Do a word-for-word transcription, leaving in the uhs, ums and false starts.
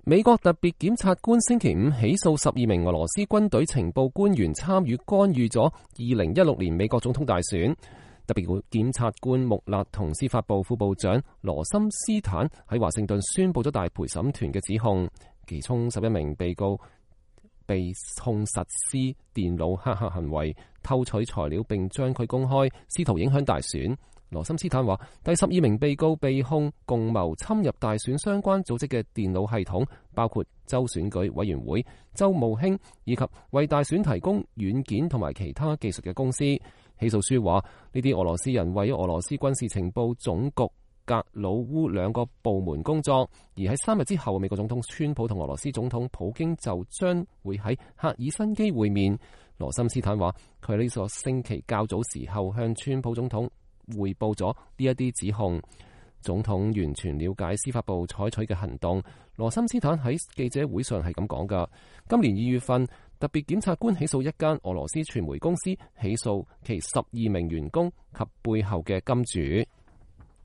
美國特別檢察官星期五起訴十二名俄羅斯軍隊情報官員參與干預咗二零一六年美國總統大選。特別檢察官穆勒同司法部副部長羅森斯坦喺華盛頓宣佈咗大陪審團嘅指控，其中十一名被告被控實施電腦黑客行為、偷取材料並將佢公開，試圖影響大選。羅森斯坦話，第十二名被告被控共謀侵入大選相關組織嘅電腦系統，包括州選舉委員會、州務卿以及為大選提供軟件同埋其他技術嘅公司。起訴書話，呢啲俄羅斯人為俄羅斯軍事情報總局格魯烏兩個部門工作，而喺三日之後，美國總統川普同俄羅斯總統普京就將會喺赫爾辛基會面。羅森斯坦話，佢喺呢個星期較早時候向川普總統匯報咗呢一啲指控。總統完全了解司法部採取嘅行動。羅森斯坦喺記者會上係咁講㗎。今年二月份，特別檢察官起訴一間俄羅斯傳媒公司，起訴其十二名員工及背後嘅金主。